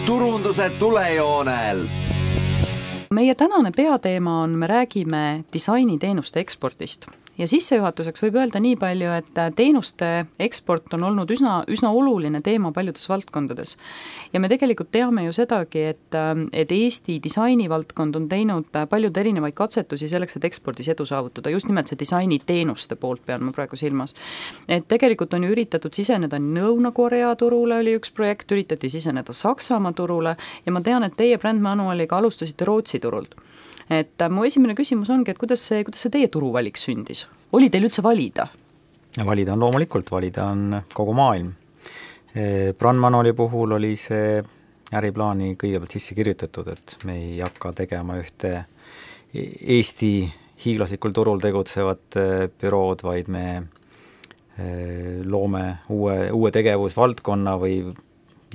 turunduse tulejoonel. Meie tänane peateema on, me räägime disainiteenuste ekspordist. Ja sissejuhatuseks võib öelda nii palju, et teenuste eksport on olnud üsna oluline teema paljudes valdkondades. Ja me tegelikult teame ju sedagi, et Eesti disainivaldkond on teinud paljud erinevaid katsetusi selleks, et ekspordis edu saavutada. Just nimelt see disainiteenuste poolt pean ma praegu silmas. Et tegelikult on ju üritatud siseneda Lõuna-Korea turule, oli üks projekt, üritati siseneda Saksamaa turule ja ma tean, et teie brändmanualiga alustasite Rootsi turult. Et mu esimene küsimus ongi, et kuidas see teie turuvalik sündis? Oli teil üldse valida? Valida on loomulikult, valida on kogu maailm. Brandmanuali puhul oli see äriplaani kõigepealt sisse kirjutatud, et me ei hakka tegema ühte Eesti hiiglaslikul turul tegutsevat bürood, vaid me loome uue tegevusvaldkonna või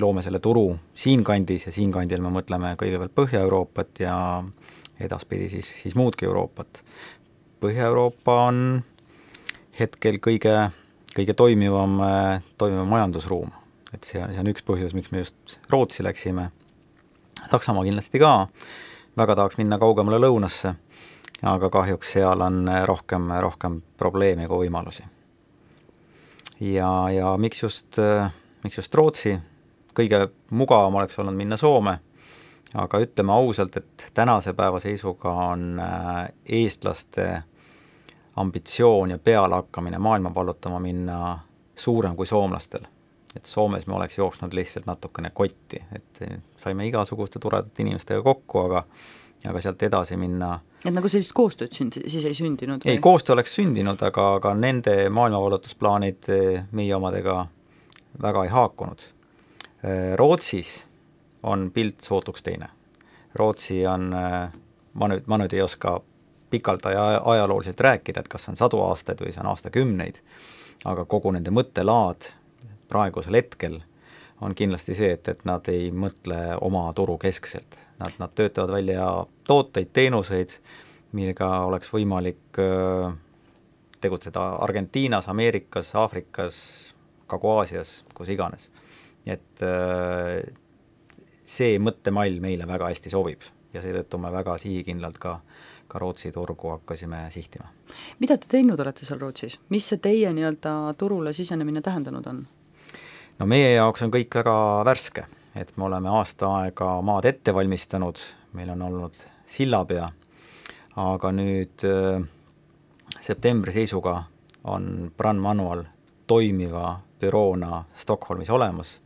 loome selle turu siinkandis ja siinkandil me mõtleme kõigepealt Põhja-Euroopat ja edaspidi siis muudki Euroopat. Põhja-Euroopa on hetkel kõige toimivam majandusruum. Et see on üks põhjus, miks me just Rootsi läksime. Saksamaa kindlasti ka. Väga tahaks minna kaugemale lõunasse, aga kahjuks seal on rohkem probleeme kui võimalusi. Ja miks just Rootsi? Kõige mugavam oleks olnud minna Soome, aga ütleme ausalt, et tänase päeva seisuga on eestlaste ambitsioon ja pealehakkamine maailma vallutama minna suurem kui soomlastel. Et Soomes me oleks jooksnud lihtsalt natukene kotti, et saime igasuguste toredate inimestega kokku, aga sealt edasi minna. Et nagu sellist koostööd siis ei sündinud? Ei, koostöö oleks sündinud, aga nende maailmavallutusplaanid meie omadega väga ei haakunud. Rootsis on pilt sootuks teine. Rootsi on, ma nüüd ei oska pikalt ajalooliselt rääkida, et kas on 100 aastaid või see on aastakümneid, aga kogu nende mõttelaad praegusel hetkel on kindlasti see, et nad ei mõtle oma turu keskselt. Nad töötavad välja tooteid, teenuseid, millega oleks võimalik tegutseda Argentiinas, Ameerikas, Aafrikas, Kagu-Aasias, kus iganes. Et see mõttemall meile väga hästi sobib ja seetõttu me väga sihikindlalt ka Rootsi turgu hakkasime sihtima. Mida te teinud olete seal Rootsis? Mis see teie turule sisenemine tähendanud on? No meie jaoks on kõik väga värske, et me oleme aasta aega maad ette valmistanud, meil on olnud sillapea, aga nüüd septembri seisuga on brandmanual toimiva büroona Stockholmis olemas.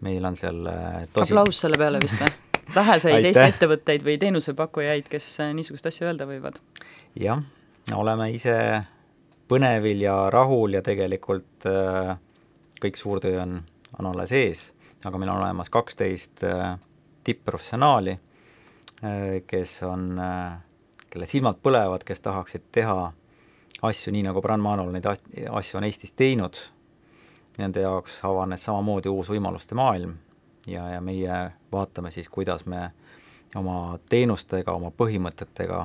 Meil on seal Aplaus selle peale vist või? Väheseid Eesti ettevõtteid või teenusepakkujaid, kes niisugust asja öelda võivad? Jah, oleme ise põnevil ja rahul ja tegelikult kõik suurtöö on alles ees, aga meil on olemas 12 tipp-professionaali, kelle silmad põlevad, kes tahaksid teha asju nii nagu brandmanual neid asju on Eestis teinud. Nende jaoks avanes samamoodi uus võimaluste maailm ja meie vaatame siis, kuidas me oma teenustega, oma põhimõtetega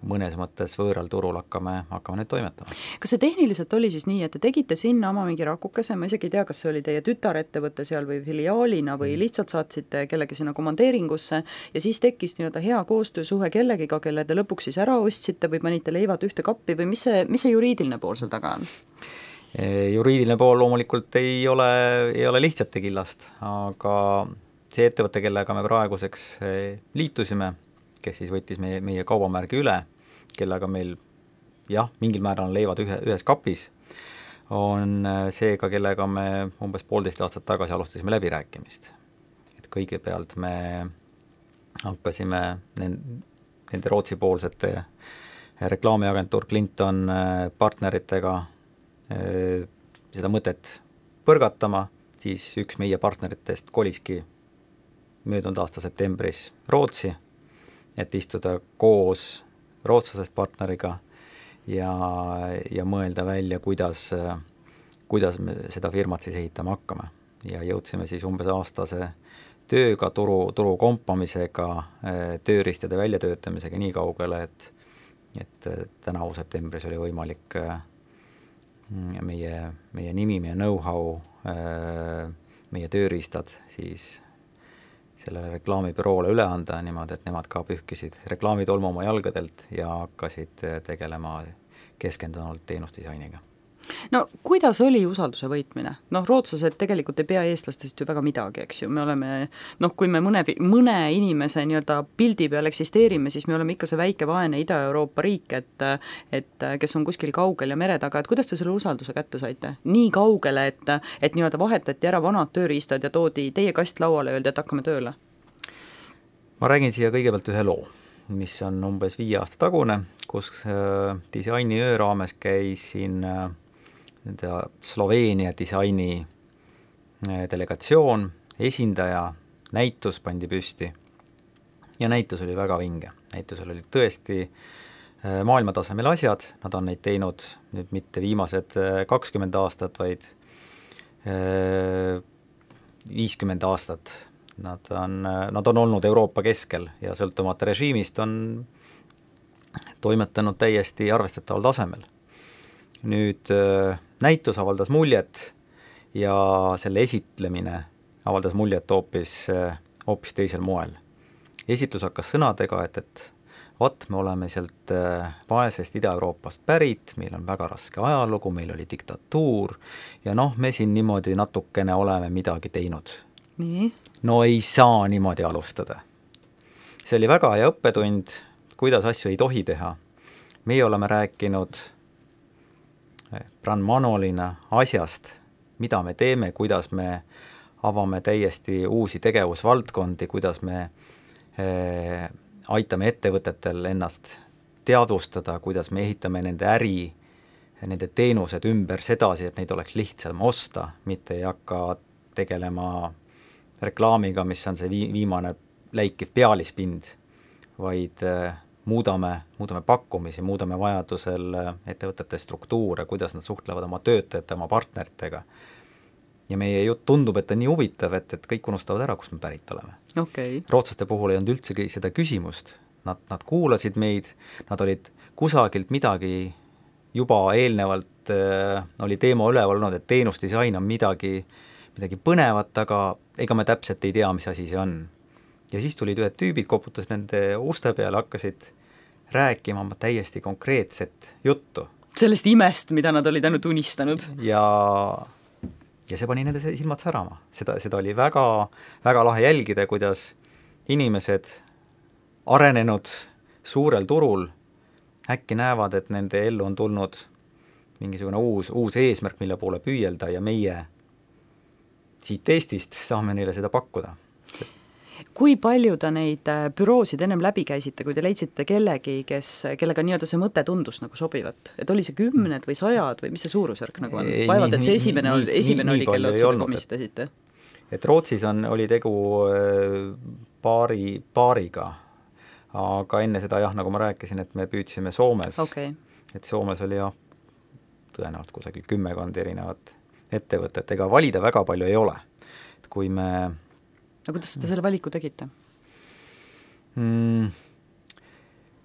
mõnes mõttes võõral turul hakkame nüüd toimetama. Kas see tehniliselt oli siis nii, et te tegite sinna oma mingi rakukese, ma isegi ei tea, kas see oli teie tütarettevõte seal või filiaalina või lihtsalt saatsite kellegi sinna komandeeringusse ja siis tekkis hea koostöösuhe kellegiga, kelle te lõpuks siis ära ostsite või panite leivad ühte kappi või mis see juriidiline pool seal taga on? Juriidiline pool loomulikult ei ole lihtsate killast, aga see ettevõte, kellega me praeguseks liitusime, kes siis võttis meie kaubamärgi üle, kellega meil mingil määral leivad ühes kapis, on seega, kellega me umbes 1,5 aastat tagasi alustasime läbirääkimist. Et kõigepealt me hakkasime nende Rootsi poolsete reklaamiagentuur Clinton partneritega seda mõtet põrgatama, siis üks meie partneritest koliski möödunud aasta septembris Rootsi, et istuda koos rootslasest partneriga ja mõelda välja, kuidas me seda firmat siis ehitama hakkame. Ja jõudsime siis umbes aastase tööga, turu kompamisega, tööriistade väljatöötamisega nii kaugele, et tänavu septembris oli võimalik meie nimi, meie know-how, meie tööriistad siis sellele reklaamibüroole üle anda niimoodi, et nemad ka pühkisid reklaamitolmu oma jalgadelt ja hakkasid tegelema keskendunult teenusdisainiga. No kuidas oli usalduse võitmine? Rootslased tegelikult ei pea eestlastest ju väga midagi, eks ju, me oleme, kui me mõne inimese nii-öelda pildi peal eksisteerime, siis me oleme ikka see väike vaene Ida-Euroopa riik, et kes on kuskil kaugel ja mere taga, et kuidas te selle usalduse kätte saite? Nii kaugele, et nii-öelda vahetati ära vanad tööriistad ja toodi teie kast lauale ja öeldi, et hakkame tööle? Ma räägin siia kõigepealt ühe loo, mis on umbes 5 aasta tagune, kus disainiöö raames käisin Sloveenia disaini delegatsioon, esindaja, näitus pandi püsti ja näitus oli väga vinge. Näitusel olid tõesti maailmatasemel asjad, nad on neid teinud nüüd mitte viimased 20 aastat, vaid 50 aastat. Nad on olnud Euroopa keskel ja sõltumata režiimist on toimetanud täiesti arvestataval tasemel. Nüüd näitus avaldas muljet ja selle esitlemine avaldas muljet hoopis teisel moel. Esitlus hakkas sõnadega, et me oleme sealt vaesest Ida-Euroopast pärit, meil on väga raske ajalugu, meil oli diktatuur ja me siin niimoodi natukene oleme midagi teinud. Nii? No ei saa niimoodi alustada. See oli väga hea õppetund, kuidas asju ei tohi teha. Meie oleme rääkinud brand manualina asjast, mida me teeme, kuidas me avame täiesti uusi tegevusvaldkondi, kuidas me aitame ettevõtetel ennast teadvustada, kuidas me ehitame nende äri, nende teenused ümber sedasi, et neid oleks lihtsam osta, mitte ei hakka tegelema reklaamiga, mis on see viimane läikiv pealispind, vaid muudame pakkumisi, muudame vajadusel ettevõtete struktuure, kuidas nad suhtlevad oma töötajate, oma partneritega. Ja meie jutt tundub, et on nii huvitav, et kõik unustavad ära, kus me pärit oleme. Okay. Rootslaste puhul ei olnud üldsegi seda küsimust. Nad kuulasid meid, nad olid kusagilt midagi juba eelnevalt oli teema üleval olnud, et teenusdisain on midagi põnevat, aga ega me täpselt ei tea, mis asi see on. Ja siis tulid ühed tüübid, koputas nende uste peale, hakkasid rääkima täiesti konkreetset juttu. Sellest imest, mida nad olid ainult unistanud. Ja see pani nende silmad särama. Seda oli väga, väga lahe jälgida, kuidas inimesed arenenud suurel turul äkki näevad, et nende ellu on tulnud mingisugune uus eesmärk, mille poole püüelda ja meie siit Eestist saame neile seda pakkuda. Kui palju ta neid büroosid ennem läbi käisite, kui te leidsite kellegi, kellega nii-öelda see mõte tundus nagu sobivat? Et oli see 10 või 100 või mis see suurusjärk nagu on? Vaevalt, et see esimene oli, kelle otsad komistasite? Et Rootsis oli tegu paariga, aga enne seda nagu ma rääkisin, et me püüdsime Soomes. Okay. Et Soomes oli tõenäoliselt kusagil 10 erinevat ettevõtet, ega valida väga palju ei ole. Et kui me kuidas te selle valiku tegite?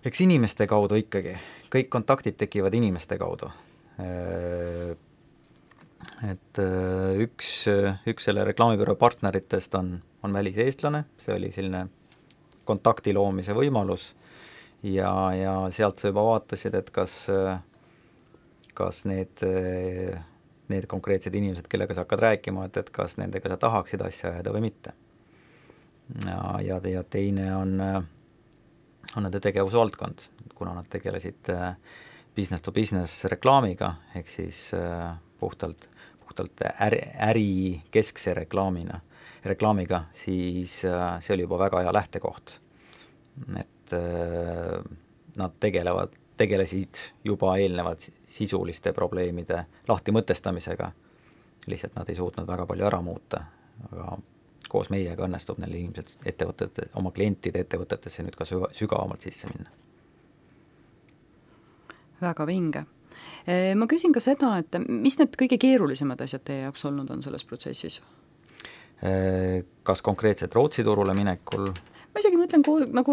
Eks inimeste kaudu ikkagi. Kõik kontaktid tekivad inimeste kaudu. Et üks selle reklaamibüroo partneritest on väliseestlane, see oli selline kontakti loomise võimalus ja sealt sa juba vaatasid, et kas need konkreetsed inimesed, kellega sa hakkad rääkima, et kas nendega sa tahaksid asja ajada või mitte. Ja teine on nende tegevusvaldkond, kuna nad tegelesid business to business reklaamiga, ehk siis puhtalt äri keskse reklaamiga, siis see oli juba väga hea lähtekoht. Et nad tegelesid juba eelnevalt sisuliste probleemide lahti mõtestamisega, lihtsalt nad ei suutnud väga palju ära muuta, aga koos meiega õnnestub neil inimesed oma klientide ettevõtetesse nüüd ka sügavamalt sisse minna. Väga vinge. Ma küsin ka seda, et mis need kõige keerulisemad asjad teie jaoks olnud on selles protsessis? Kas konkreetselt Rootsi turule minekul? ma isegi mõtlen nagu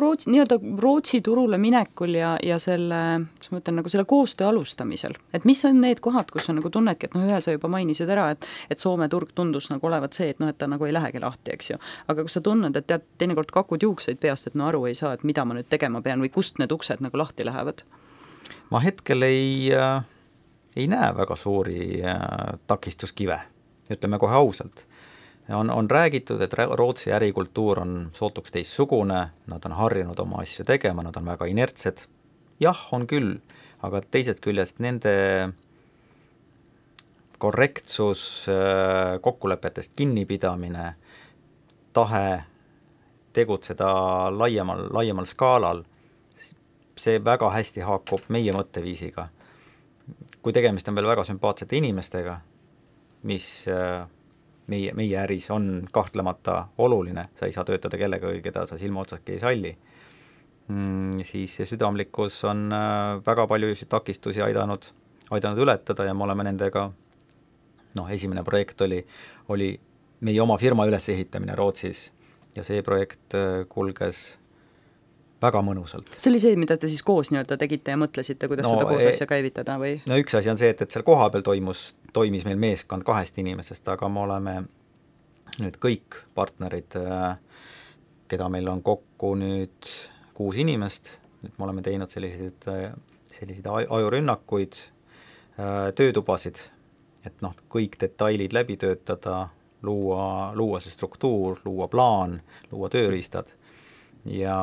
Rootsi turule minekul ja selle, mis ma ütlen, nagu selle koostöö alustamisel, et mis on need kohad, kus on nagu tunnedki, et ühe sa juba mainisid ära, et Soome turg tundus nagu olevat see, et et ta nagu ei lähegi lahti, eks ju. Aga kus sa tunned, et tead, teinekord kakud juukseid peast, et aru ei saa, et mida ma nüüd tegema pean või kust need uksed nagu lahti lähevad? Ma hetkel ei näe väga suuri takistuskive, ütleme kohe ausalt. On räägitud, et Rootsi ärikultuur on sootuks teistsugune, nad on harjunud oma asju tegema, nad on väga inertsed. Jah, on küll, aga teisest küljest nende korrektsus, kokkulepetest kinnipidamine, tahe tegutseda laiemal skaalal, see väga hästi haakub meie mõtteviisiga. Kui tegemist on veel väga sümpaatsete inimestega, mis meie äris on kahtlemata oluline, sa ei saa töötada kellega, keda sa silma otsaski ei salli, siis see südamlikkus on väga palju takistusi aidanud ületada ja me oleme nendega, esimene projekt oli meie oma firma ülesehitamine Rootsis ja see projekt kulges väga mõnusalt. See oli see, mida te siis koos tegite ja mõtlesite, kuidas seda koos asja käivitada või? No üks asi on see, et seal koha peal toimis meil meeskond 2 inimesest, aga me oleme nüüd kõik partnerid, keda meil on kokku nüüd 6 inimest, et me oleme teinud selliseid ajurünnakuid, töötubasid, et kõik detailid läbi töötada, luua see struktuur, luua plaan, luua tööriistad ja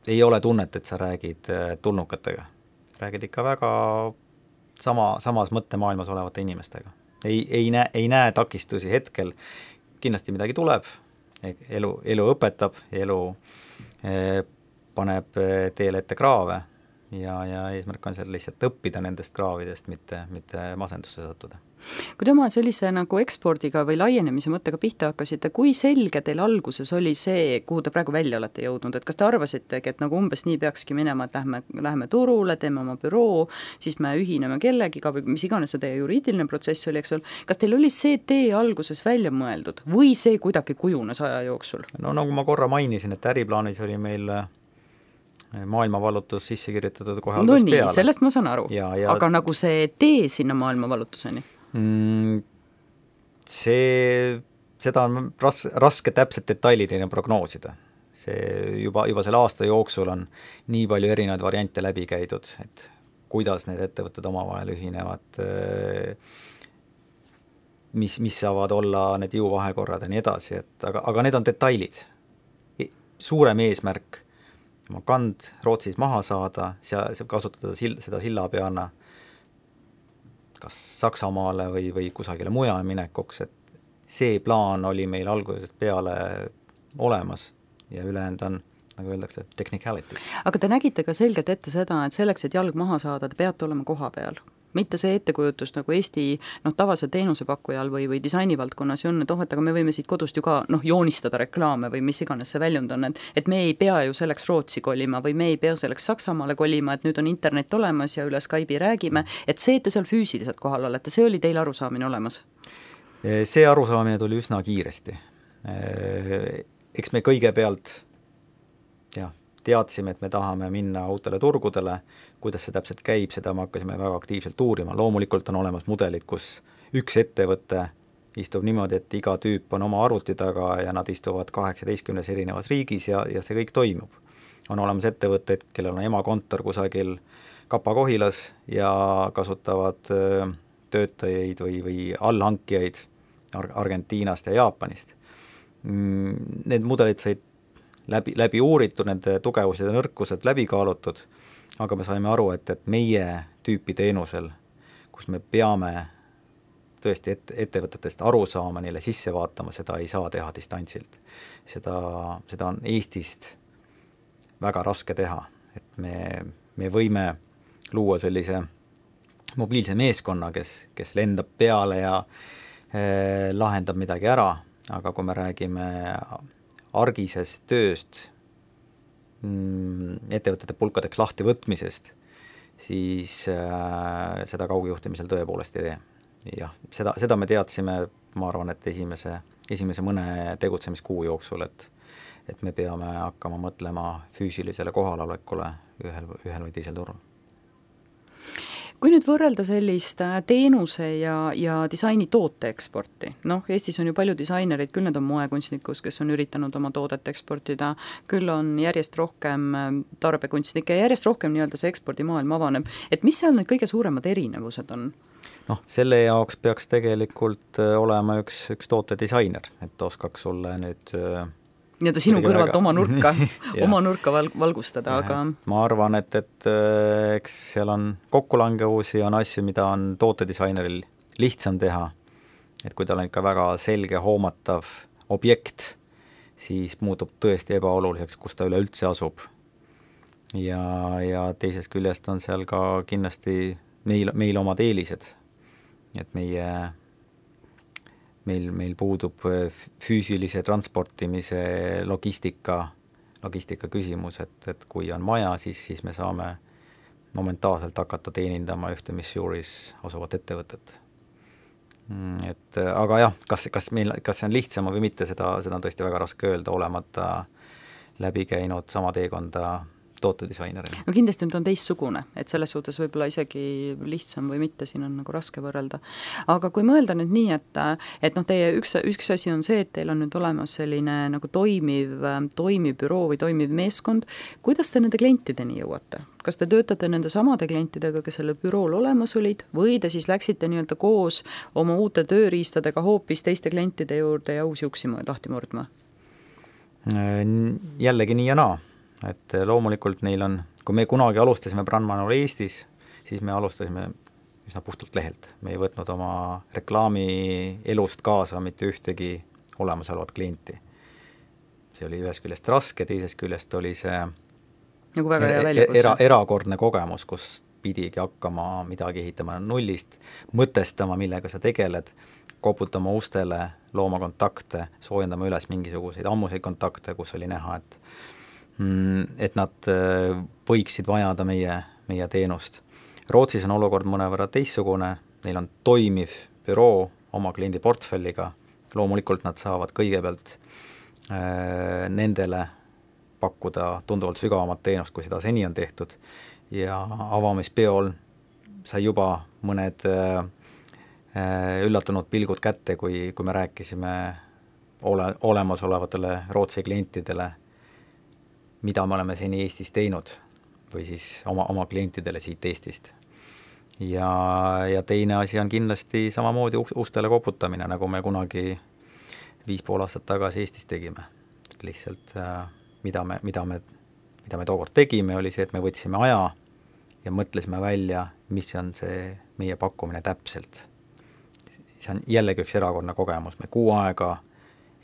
ei ole tunnet, et sa räägid tulnukatega. Räägid ikka väga samas mõttemaailmas olevate inimestega. Ei näe takistusi hetkel, kindlasti midagi tuleb, elu õpetab, elu paneb teele ette kraave ja eesmärk on seal lihtsalt õppida nendest kraavidest, mitte masendusse sattuda. Kui te oma sellise nagu ekspordiga või laienemise mõttega pihta hakkasite, kui selge teil alguses oli see, kuhu te praegu välja olete jõudnud, et kas te arvasitegi, et nagu umbes nii peakski minema, et lähme turule, teeme oma büroo, siis me ühineme kellegiga või mis iganes see teie juriidiline protsess oli, eks ole, kas teil oli see tee alguses välja mõeldud või see kuidagi kujunes aja jooksul? No nagu ma korra mainisin, et äriplaanis oli meil maailmavallutus sisse kirjutatud kohe alguses peale. Sellest ma saan aru, aga nagu see tee sinna maailmavallutuseni? Seda on raske täpselt detailideni prognoosida. See juba selle aasta jooksul on nii palju erinevaid variante läbi käidud, et kuidas need ettevõtted omavahel ühinevad, mis saavad olla need jõuvahekorrad ja nii edasi, aga need on detailid. Suurem eesmärk oma kand Rootsis maha saada, kasutada seda sillapeana kas Saksamaale või kusagile mujale minekuks, et see plaan oli meil algusest peale olemas ja ülejäänud on, nagu öeldakse, technicalities. Aga te nägite ka selgelt ette seda, et selleks, et jalg maha saada, te peate olema koha peal. Mitte see ettekujutus nagu Eesti tavase teenusepakkujal või disainivaldkonnas on, et aga me võime siit kodust ju ka joonistada reklaame või mis iganes see väljund on, et me ei pea ju selleks Rootsi kolima või me ei pea selleks Saksamaale kolima, et nüüd on internet olemas ja üle Skype'i räägime, et see, et te seal füüsiliselt kohal olete, see oli teil arusaamine olemas? See arusaamine tuli üsna kiiresti. Eks me kõigepealt teadsime, et me tahame minna uutele turgudele, kuidas see täpselt käib, seda me hakkasime väga aktiivselt uurima. Loomulikult on olemas mudelid, kus üks ettevõte istub niimoodi, et iga tüüp on oma arvuti taga ja nad istuvad 18 erinevas riigis ja see kõik toimub. On olemas ettevõtted, kellel on emakontor kusagil Kapa-Kohilas ja kasutavad töötajaid või allhankijaid Argentiinast ja Jaapanist. Need mudelid said läbi uuritud, nende tugevused ja nõrkused läbi kaalutud, aga me saime aru, et meie tüüpi teenusel, kus me peame tõesti ettevõtetest aru saama, neile sisse vaatama, seda ei saa teha distantsilt. Seda on Eestist väga raske teha, et me võime luua sellise mobiilse meeskonna, kes lendab peale ja lahendab midagi ära, aga kui me räägime argisest tööst, ettevõtete pulkadeks lahti võtmisest, siis seda kaugjuhtimisel tõepoolest ei tee. Jah, seda me teadsime, ma arvan, et esimese mõne tegutsemiskuu jooksul, et et me peame hakkama mõtlema füüsilisele kohalolekule ühel või teisel turul. Kui nüüd võrrelda sellist teenuse ja disaini toote eksporti, Eestis on ju palju disainerid, küll need on moekunstnikus, kes on üritanud oma toodet eksportida, küll on järjest rohkem tarbekunstnikke ja järjest rohkem nii-öelda see ekspordimaailm avaneb, et mis seal need kõige suuremad erinevused on? Selle jaoks peaks tegelikult olema üks tootedisainer, et oskaks sulle nüüd nii-öelda sinu kõrvalt oma nurka valgustada, aga ma arvan, et eks seal on kokkulangevusi, on asju, mida on tootedisaineril lihtsam teha, et kui tal on ikka väga selge hoomatav objekt, siis muutub tõesti ebaoluliseks, kus ta üleüldse asub. Ja teisest küljest on seal ka kindlasti meil omad eelised, et meil puudub füüsilise transportimise logistika küsimus, et kui on vaja, siis me saame momentaalselt hakata teenindama ühte Missouris asuvat ettevõtet. Aga jah, kas see on lihtsam või mitte, seda on tõesti väga raske öelda, olemata läbi käinud sama teekonda tootedisainerina. Kindlasti nüüd on teistsugune, et selles suhtes võib-olla isegi lihtsam või mitte, siin on nagu raske võrrelda. Aga kui mõelda nüüd nii, et teie üks asi on see, et teil on nüüd olemas selline nagu toimiv büroo või toimiv meeskond, kuidas te nende klientideni jõuate? Kas te töötate nende samade klientidega, kes sellel bürool olemas olid, või te siis läksite nii-öelda koos oma uute tööriistadega hoopis teiste klientide juurde ja uusi uksi lahti murdma? Jällegi nii ja naa. Et loomulikult neil on, kui me kunagi alustasime Brandmanul Eestis, siis me alustasime üsna puhtalt lehelt. Me ei võtnud oma reklaami elust kaasa mitte ühtegi olemasolevat klienti. See oli ühest küljest raske, teisest küljest oli see nagu väga hea väljakutse. Erakordne kogemus, kus pidigi hakkama midagi ehitama nullist, mõtestama, millega sa tegeled, koputama ustele, looma kontakte, soojendama üles mingisuguseid ammuseid kontakte, kus oli näha, et nad võiksid vajada meie teenust. Rootsis on olukord mõnevõrra teistsugune, neil on toimiv büroo oma kliendi portfelliga, loomulikult nad saavad kõigepealt nendele pakkuda tunduvalt sügavamat teenust, kui seda seni on tehtud, ja avamispeol sai juba mõned üllatunud pilgud kätte, kui me rääkisime olemasolevatele Rootsi klientidele, mida me oleme seni Eestis teinud või siis oma klientidele siit Eestist. Ja teine asi on kindlasti samamoodi ustele koputamine, nagu me kunagi 5,5 aastat tagasi Eestis tegime. Lihtsalt mida me tookord tegime, oli see, et me võtsime aja ja mõtlesime välja, mis on see meie pakkumine täpselt. See on jällegi üks erakordne kogemus. Me 6 aega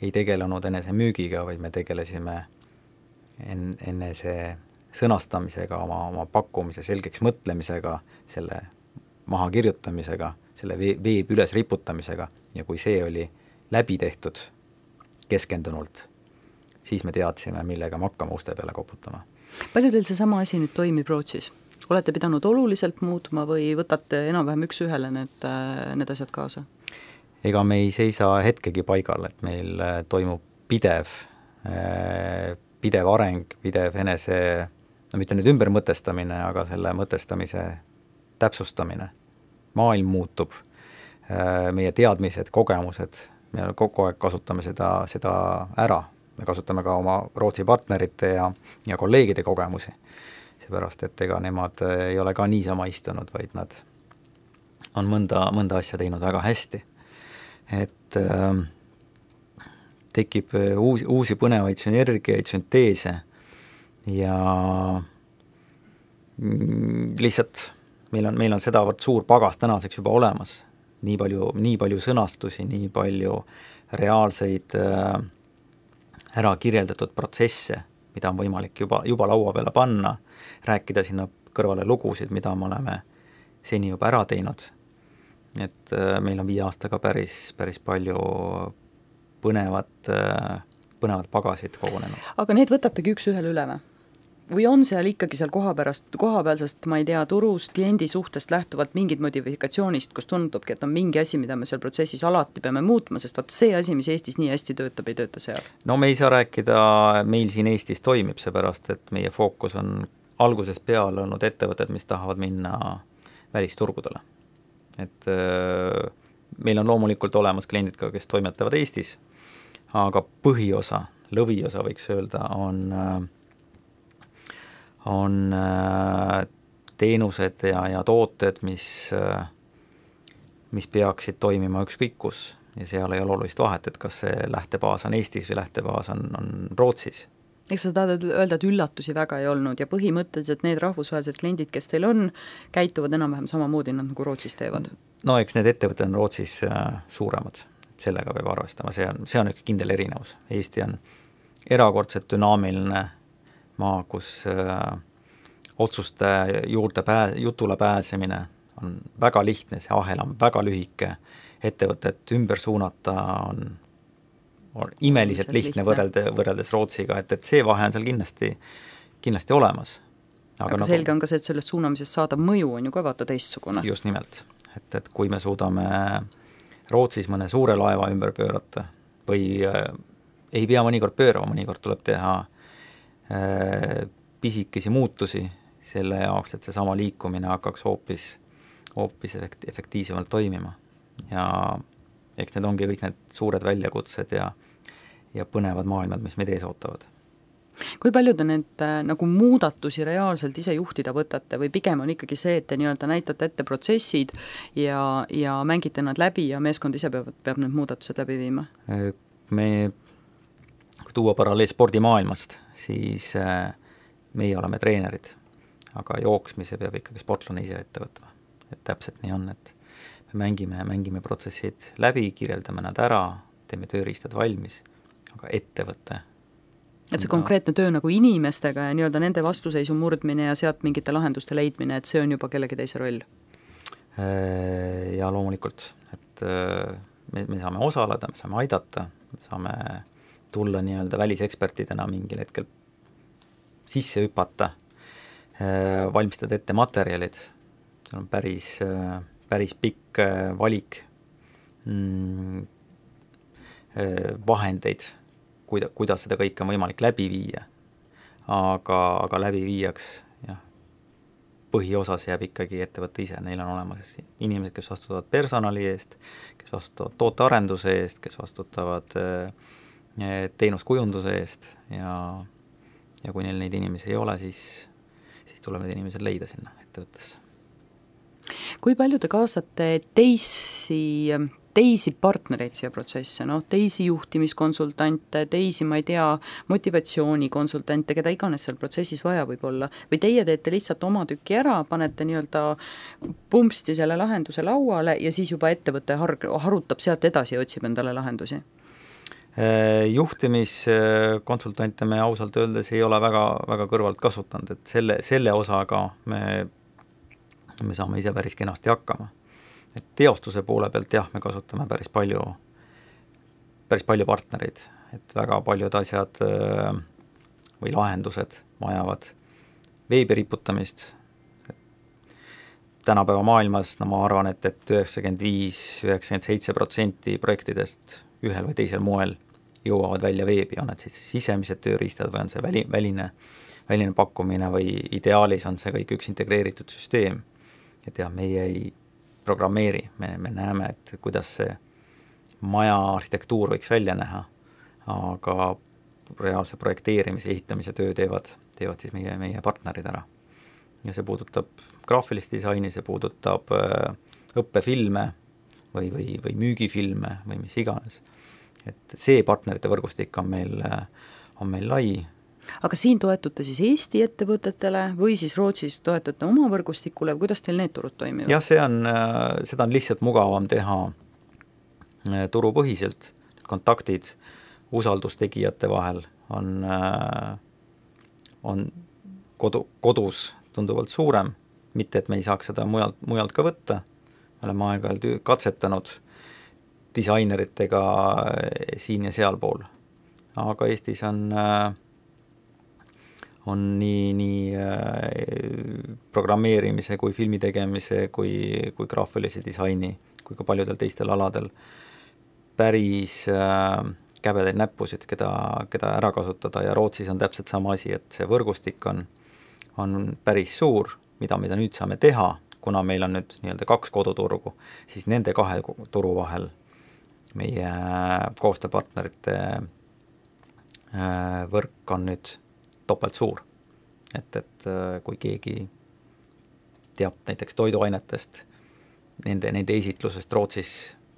ei tegelenud enese müügiga, vaid me tegelesime enne see sõnastamisega, oma pakkumise selgeks mõtlemisega, selle maha kirjutamisega, selle veeb üles riputamisega, ja kui see oli läbi tehtud keskendunult, siis me teadsime, millega me hakkame uste peale koputama. Palju teil see sama asi nüüd toimib Rootsis? Olete pidanud oluliselt muutma või võtate enam-vähem üks-ühele need asjad kaasa? Ega me ei seisa hetkegi paigal, et meil toimub pidev areng, pidev enese, mitte nüüd ümber mõtestamine, aga selle mõtestamise täpsustamine. Maailm muutub, meie teadmised, kogemused, me kogu aeg kasutame seda ära. Me kasutame ka oma Rootsi partnerite ja kolleegide kogemusi. Seepärast, et ega nemad ei ole ka niisama istunud, vaid nad on mõnda asja teinud väga hästi. Et tekib uusi põnevaid sünergiaid, sünteese ja lihtsalt meil on sedavõrd suur pagas tänaseks juba olemas. Nii palju sõnastusi, nii palju reaalseid ära kirjeldatud protsesse, mida on võimalik juba laua peale panna, rääkida sinna kõrvale lugusid, mida me oleme seni juba ära teinud. Et meil on 5 aastaga päris palju põnevat pagasid kogunenud. Aga need võtategi üks-ühele üle või? või on seal ikkagi seal kohapealsest, ma ei tea, turust, kliendi suhtest lähtuvalt mingid modifikatsioonist, kus tundubki, et on mingi asi, mida me seal protsessis alati peame muutma, sest vaat see asi, mis Eestis nii hästi töötab, ei tööta seal? No me ei saa rääkida, meil siin Eestis toimib, seepärast et meie fookus on algusest peale olnud ettevõtted, mis tahavad minna välisturgudele. Et meil on loomulikult olemas kliendid ka, kes toimetavad Eestis, aga põhiosa, lõviosa võiks öelda, on teenused ja tooted, mis peaksid toimima ükskõik kus ja seal ei ole olulist vahet, et kas see lähtebaas on Eestis või lähtebaas on Rootsis. Eks sa tahad öelda, et üllatusi väga ei olnud ja põhimõtteliselt need rahvusvahelised kliendid, kes teil on, käituvad enam-vähem samamoodi nad nagu Rootsis teevad? No eks need ettevõtted on Rootsis suuremad, sellega peab arvestama, see on üks kindel erinevus. Eesti on erakordselt dünaamiline maa, kus otsuste jutule pääsemine on väga lihtne, see ahel on väga lühike, ettevõtet ümber suunata on imeliselt lihtne võrreldes Rootsiga, et see vahe on seal kindlasti olemas. Aga selge on ka see, et sellest suunamisest saadav mõju on ju ka vaata teistsugune. Just nimelt, et kui me suudame Rootsis mõne suure laeva ümber pöörata või ei pea mõnikord pöörama, mõnikord tuleb teha pisikesi muutusi selle jaoks, et seesama liikumine hakkaks hoopis efektiivsemalt toimima. Ja eks need ongi kõik need suured väljakutsed ja põnevad maailmad, mis meid ees ootavad. Kui palju te need nagu muudatusi reaalselt ise juhtida võtate või pigem on ikkagi see, et te nii-öelda näitate ette protsessid ja mängite nad läbi ja meeskond ise peab need muudatused läbi viima? Kui tuua paralleel spordimaailmast, siis meie oleme treenerid, aga jooksmise peab ikkagi sportlane ise ette võtma. Et täpselt nii on, et me mängime protsessid läbi, kirjeldame nad ära, teeme tööriistad valmis, aga ettevõte. Et see konkreetne töö nagu inimestega ja nii-öelda nende vastuseisu murdmine ja sealt mingite lahenduste leidmine, et see on juba kellegi teise roll? Ja loomulikult, et me saame osaleda, me saame aidata, me saame tulla nii-öelda välisekspertidena mingil hetkel sisse hüpata, valmistada ette materjalid, see on päris pikk valik vahendeid, kuidas seda kõike on võimalik läbi viia, aga läbi viiaks põhiosas jääb ikkagi ettevõtte ise, neil on olemas inimesed, kes vastutavad personali eest, kes vastutavad tootearenduse eest, kes vastutavad teenuskujunduse eest ja kui neil neid inimesi ei ole, siis tuleb need inimesed leida sinna ettevõttesse. Kui palju te kaasate teisi partnereid siia protsesse, teisi juhtimiskonsultante, teisi, ma ei tea, motivatsioonikonsultante, keda iganes seal protsessis vaja võib olla, või teie teete lihtsalt oma tükki ära, panete nii-öelda pumpsti selle lahenduse lauale ja siis juba ettevõte harutab sealt edasi ja otsib endale lahendusi? Juhtimiskonsultante me ausalt öeldes ei ole väga, väga kõrvalt kasutanud, et selle osaga me saame ise päris kenasti hakkama. Et teostuse poole pealt me kasutame päris palju partnereid, et väga paljud asjad või lahendused vajavad veebi riputamist. Tänapäeva maailmas, ma arvan, et 95-97% projektidest ühel või teisel moel jõuavad välja veebi, on need siis sisemised tööriistad või on see väline pakkumine või ideaalis on see kõik üks integreeritud süsteem. Et meie ei programmeeri, me näeme, et kuidas see maja arhitektuur võiks välja näha, aga reaalse projekteerimise, ehitamise töö teevad siis meie partnerid ära. Ja see puudutab graafilist disaini, see puudutab õppefilme või müügifilme või mis iganes. Et see partnerite võrgustik on meil lai. Aga siin toetute siis Eesti ettevõtetele või siis Rootsis toetute oma võrgustikule või kuidas teil need turud toimivad? Jah, seda on lihtsalt mugavam teha turupõhiselt. Kontaktid usaldustegijate vahel on kodus tunduvalt suurem, mitte et me ei saaks seda mujalt ka võtta. Me oleme aeg-ajalt katsetanud disaineritega siin ja sealpool. Aga Eestis on nii programmeerimise kui filmi tegemise kui graafilise disaini kui ka paljudel teistel aladel päris käbedaid näppusid, keda ära kasutada ja Rootsis on täpselt sama asi, et see võrgustik on päris suur, mida nüüd saame teha, kuna meil on nüüd nii-öelda 2 koduturgu, siis nende 2 turu vahel meie koostööpartnerite võrk on nüüd topelt suur. Et kui keegi teab näiteks toiduainetest, nende esitlusest Rootsis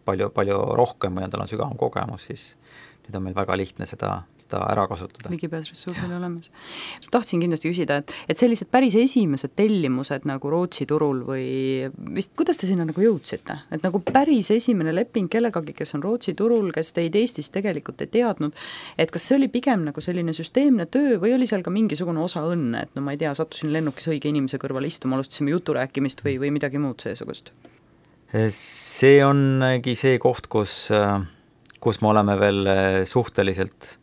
palju rohkem või tal on sügavam kogemus, siis nüüd on meil väga lihtne seda ära kasutada. Ligipääsressursil olemas. Tahtsin kindlasti küsida, et sellised päris esimesed tellimused nagu Rootsi turul või vist, kuidas te sinna nagu jõudsite? Et nagu päris esimene leping kellegagi, kes on Rootsi turul, kes teid Eestis tegelikult ei teadnud, et kas see oli pigem nagu selline süsteemne töö või oli seal ka mingisugune osa õnne, et no ma ei tea, sattusin lennukis õige inimese kõrval istuma, alustasime jutu rääkimist või midagi muud seesugust? See ongi see koht, kus me oleme veel suhteliselt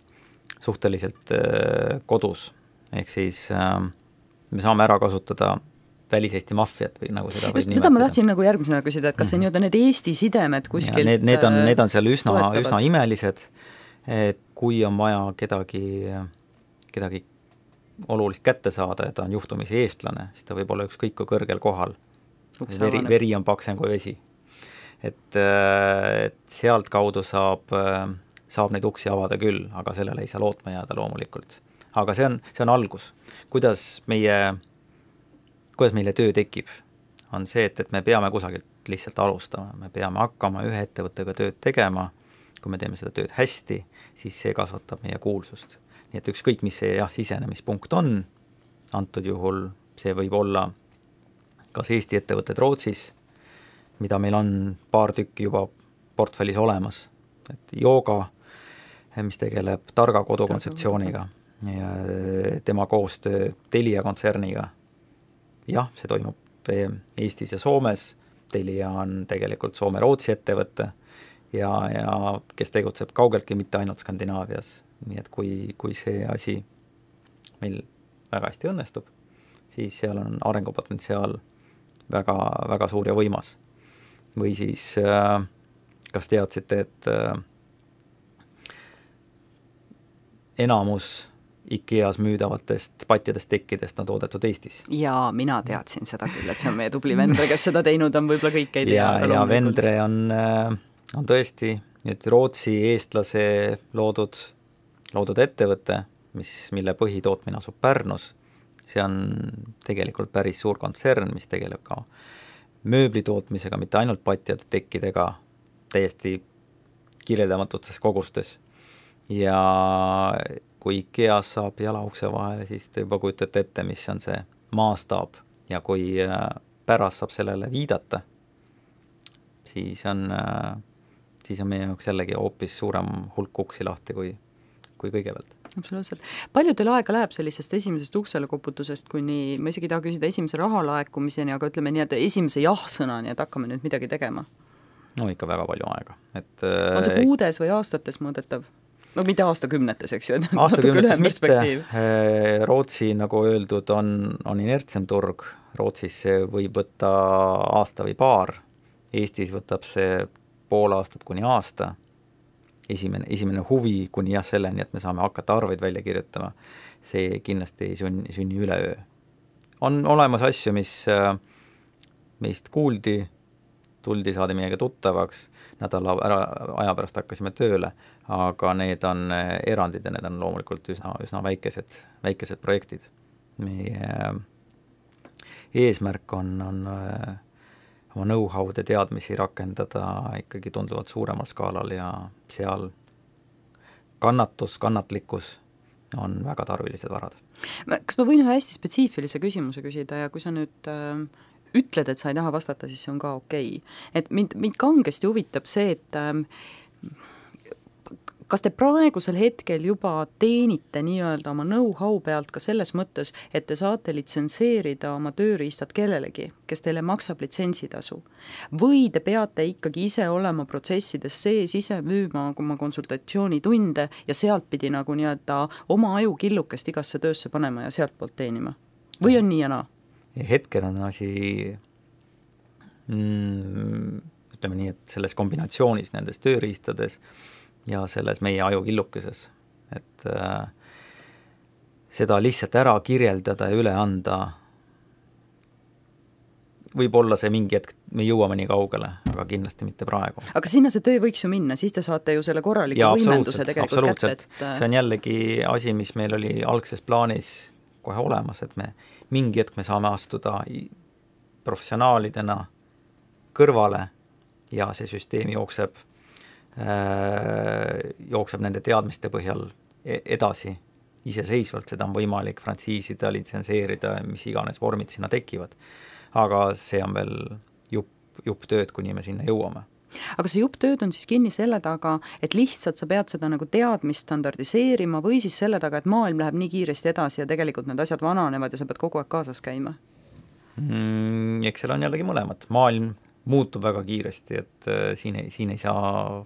kodus, ehk siis me saame ära kasutada väliseesti maffiat või nagu seda võib nimetada. Mida ma tahtsin nagu järgmisena küsida, et kas see nii-öelda need Eesti sidemed kuskilt need on seal üsna imelised, et kui on vaja kedagi olulist kätte saada ja ta on juhtumisi eestlane, siis ta võib olla ükskõik kui kõrgel kohal. Veri on paksem kui vesi. Et sealt kaudu saab neid uksi avada küll, aga sellele ei saa lootma jääda loomulikult. Aga see on algus. Kuidas meile töö tekib, on see, et me peame kusagilt lihtsalt alustama. Me peame hakkama ühe ettevõttega tööd tegema. Kui me teeme seda tööd hästi, siis see kasvatab meie kuulsust. Nii et ükskõik, mis see sisenemispunkt on, antud juhul see võib olla kas Eesti ettevõtted Rootsis, mida meil on paar tükki juba portfellis olemas, et Jooga, mis tegeleb targa kodukontseptsiooniga ja tema koostöö Telia kontserniga. Jah, see toimub Eestis ja Soomes, Telia on tegelikult Soome-Rootsi ettevõte ja kes tegutseb kaugeltki mitte ainult Skandinaavias, nii et kui see asi meil väga hästi õnnestub, siis seal on arengupotentsiaal väga, väga suur ja võimas. Või siis kas teadsite, et enamus IKEAs müüdavatest patjadest tekkidest on toodetud Eestis? Jaa, mina teadsin seda küll, et see on meie tubli Vendre, kes seda teinud on, võib-olla kõik ei tea. Ja Vendre on tõesti nüüd Rootsi eestlase loodud ettevõte, mille põhitootmine asub Pärnus. See on tegelikult päris suur kontsern, mis tegeleb ka mööblitootmisega, mitte ainult patjade tekkidega, täiesti kirjeldamatutes kogustes. Ja kui IKEAs saab jalaukse vahele, siis te juba kujutate ette, mis on see maastaab. Ja kui pärast saab sellele viidata, siis on meie jaoks jällegi hoopis suurem hulk uksi lahti kui kõigepealt. Absoluutselt. Palju teil aega läheb sellisest esimesest uksele koputusest kuni, ma isegi taha küsida esimese rahalaekumiseni, aga ütleme nii, et esimese jah-sõnani, et hakkame nüüd midagi tegema? No ikka väga palju aega. On see kuudes või aastates mõõdetav? No mitte aastakümnetes, eks ju? Aastakümnetes mitte. Rootsi, nagu öeldud, on inertsem turg. Rootsis see võib võtta aasta või paar. Eestis võtab see pool aastat kuni aasta. Esimene huvi kuni selleni, et me saame hakata arveid välja kirjutama, see kindlasti ei sünni üleöö. On olemas asju, mis meist kuuldi, saadi meiega tuttavaks, nädala aja pärast hakkasime tööle, aga need on erandid ja need on loomulikult üsna väikesed projektid. Meie eesmärk on oma know-how'de teadmisi rakendada ikkagi tunduvalt suuremal skaalal ja seal kannatlikkus on väga tarvilised varad. Kas ma võin ühe hästi spetsiifilise küsimuse küsida ja kui sa nüüd ütled, et sa ei taha vastata, siis see on ka okei. Et mind kangesti huvitab see, et kas te praegusel hetkel juba teenite nii-öelda oma know-how pealt ka selles mõttes, et te saate litsenseerida oma tööriistad kellelegi, kes teile maksab litsentsitasu? Või te peate ikkagi ise olema protsessides sees, ise müüma oma konsultatsioonitunde ja sealt pidi nagu nii-öelda oma ajukillukest igasse töösse panema ja sealt poolt teenima? Või on nii ja naa? Hetkel on asi ütleme nii, et selles kombinatsioonis nendes tööriistades ja selles meie ajukillukeses, et seda lihtsalt ära kirjeldada ja üle anda, võib-olla see mingi hetk, me jõuame nii kaugele, aga kindlasti mitte praegu. Aga sinna see töö võiks ju minna, siis te saate ju selle korraliku võimenduse tegelikult kätte. See on jällegi asi, mis meil oli algses plaanis kohe olemas, et me mingi hetk me saame astuda professionaalidena kõrvale ja see süsteem jookseb nende teadmiste põhjal edasi iseseisvalt, seda on võimalik frantsiisida, litsenseerida, mis iganes vormid sinna tekivad. Aga see on veel jupp tööd, kuni me sinna jõuame. Aga see jupp tööd on siis kinni selle taga, et lihtsalt sa pead seda nagu teadmist standardiseerima või siis selle taga, et maailm läheb nii kiiresti edasi ja tegelikult need asjad vananevad ja sa pead kogu aeg kaasas käima? Eks seal on jällegi mõlemad. Maailm muutub väga kiiresti, et siin ei saa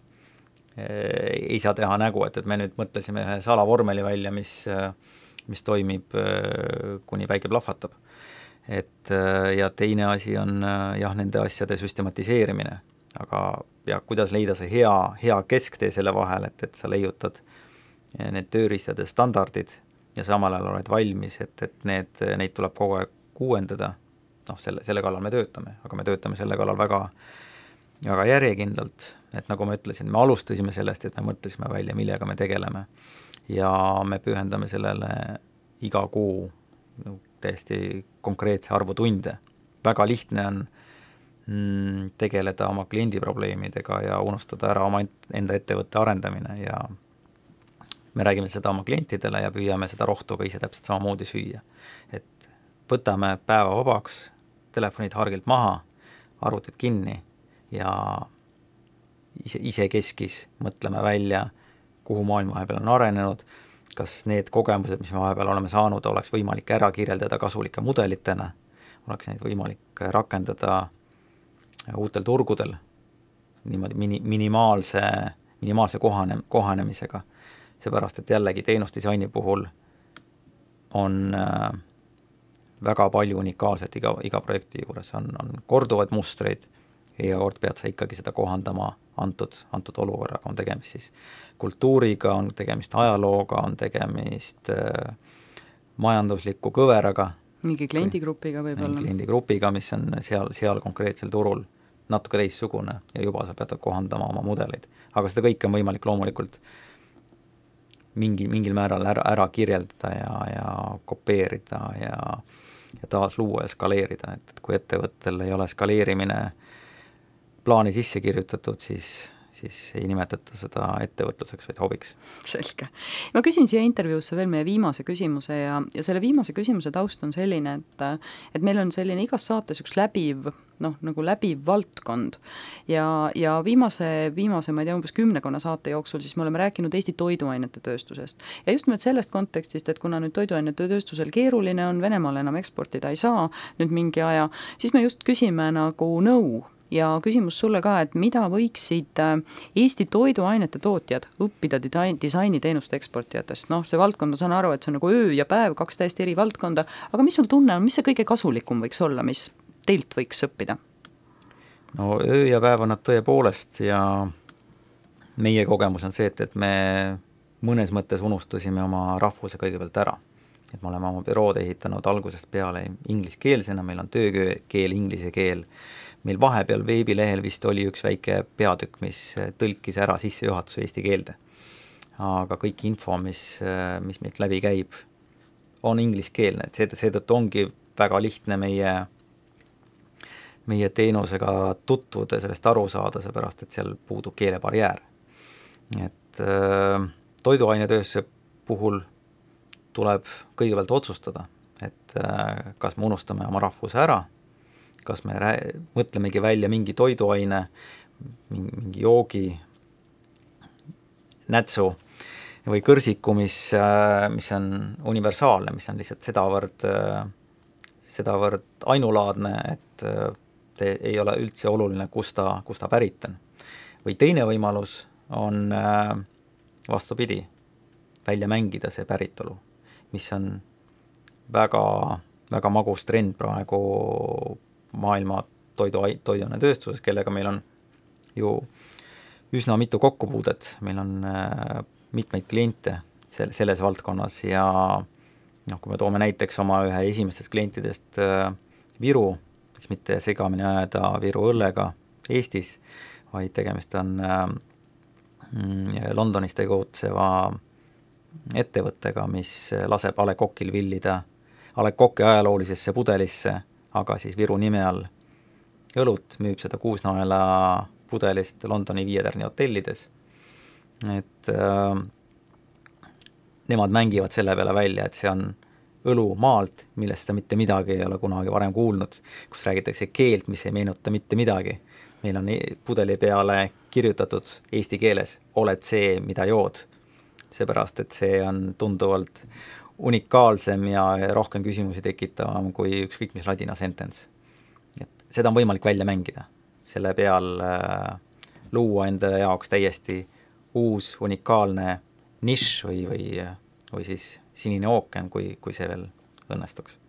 teha nägu, et me nüüd mõtlesime ühe salavormeli välja, mis toimib kuni päike plahvatab. Ja teine asi on nende asjade süstematiseerimine, aga kuidas leida see hea kesktee selle vahel, et sa leiutad need tööriistade standardid ja samal ajal oled valmis, et neid tuleb kogu aeg uuendada. Selle kallal me töötame, aga me töötame selle kallal väga, väga järjekindlalt, et nagu ma ütlesin, me alustasime sellest, et me mõtlesime välja, millega me tegeleme ja me pühendame sellele iga kuu täiesti konkreetse arvu tunde. Väga lihtne on tegeleda oma kliendi probleemidega ja unustada ära oma enda ettevõtte arendamine ja me räägime seda oma klientidele ja püüame seda rohtu ka ise täpselt samamoodi süüa. Et võtame päeva vabaks, telefonid hargilt maha, arvutid kinni ja ise keskis mõtleme välja, kuhu maailm vahepeal on arenenud, kas need kogemused, mis me vahepeal oleme saanud, oleks võimalik ära kirjeldada kasulike mudelitena, oleks neid võimalik rakendada uutel turgudel niimoodi minimaalse kohanemisega. Seepärast, et jällegi teenusdisaini puhul on väga palju unikaalset iga projekti juures, on korduvad mustreid ja kord pead sa ikkagi seda kohandama antud olukorraga, on tegemist siis kultuuriga, on tegemist ajalooga, on tegemist majandusliku kõveraga. Mingi kliendigrupiga võib-olla. Kliendigrupiga, mis on seal konkreetsel turul natuke teissugune ja juba sa pead kohandama oma mudeleid. Aga seda kõike on võimalik loomulikult mingil määral ära kirjeldada ja kopeerida ja taas luua ja skaleerida, et kui ettevõttel ei ole skaleerimine plaani sisse kirjutatud, siis ei nimetata seda ettevõtluseks, vaid hobiks. Selge. Ma küsin siia intervjuusse veel meie viimase küsimuse ja selle viimase küsimuse taust on selline, et meil on selline igas saates üks läbiv valdkond ja viimase, ma ei tea, umbes 10 saate jooksul siis me oleme rääkinud Eesti toiduainete tööstusest. Ja just nimelt sellest kontekstist, et kuna nüüd toiduainete tööstusel keeruline on, Venemaal enam eksportida ei saa nüüd mingi aja, siis me just küsime nagu nõu. Ja küsimus sulle ka, et mida võiksid Eesti toiduainete tootjad õppida disainiteenuste eksportijatest? See valdkond, ma saan aru, et see on nagu öö ja päev, 2 täiesti eri valdkonda, aga mis sul tunne on, mis see kõige kasulikum võiks olla, mis teilt võiks õppida? Öö ja päev on nad tõepoolest ja meie kogemus on see, et me mõnes mõttes unustasime oma rahvuse kõigepealt ära. Et me oleme oma bürood ehitanud algusest peale ingliskeelsena, meil on töökeel, inglise keel. Meil vahepeal veebilehel vist oli üks väike peatükk, mis tõlkis ära sissejuhatuse eesti keelde. Aga kõik info, mis meilt läbi käib, on ingliskeelne. Seetõttu ongi väga lihtne meie teenusega tutvuda ja sellest aru saada, seepärast, et seal puudub keelebarjäär. Et toiduainetööstuse puhul tuleb kõigepealt otsustada, et kas me unustame oma rahvuse ära, kas me mõtlemegi välja mingi toiduaine, mingi joogi nätsu või kõrsiku, mis on universaalne, mis on lihtsalt sedavõrd ainulaadne, et ei ole üldse oluline, kus ta pärit on. Või teine võimalus on vastupidi, välja mängida see päritolu, mis on väga, väga magus trend praegu maailma toiduainetööstuses, kellega meil on ju üsna mitu kokkupuudet, meil on mitmeid kliente selles valdkonnas ja kui me toome näiteks oma ühe esimestest klientidest Viru, siis mitte segamini ajada Viru õllega Eestis, vaid tegemist on Londonis tegutseva ettevõttega, mis laseb A. Le Coqil villida A. Le Coqi ajaloolisesse pudelisse, aga siis Viru nime all õlut, müüb seda 6 naela pudelist Londoni 5 tärni hotellides. Et nemad mängivad selle peale välja, et see on õlu maalt, millest sa mitte midagi ei ole kunagi varem kuulnud, kus räägitakse keelt, mis ei meenuta mitte midagi. Meil on pudeli peale kirjutatud eesti keeles, oled see, mida jood. Seepärast, et see on tunduvalt unikaalsem ja rohkem küsimusi tekitavam kui ükskõik mis ladina sentence. Et seda on võimalik välja mängida. Selle peal luua endale jaoks täiesti uus unikaalne nišš või siis sinine ookean, kui see veel õnnestuks.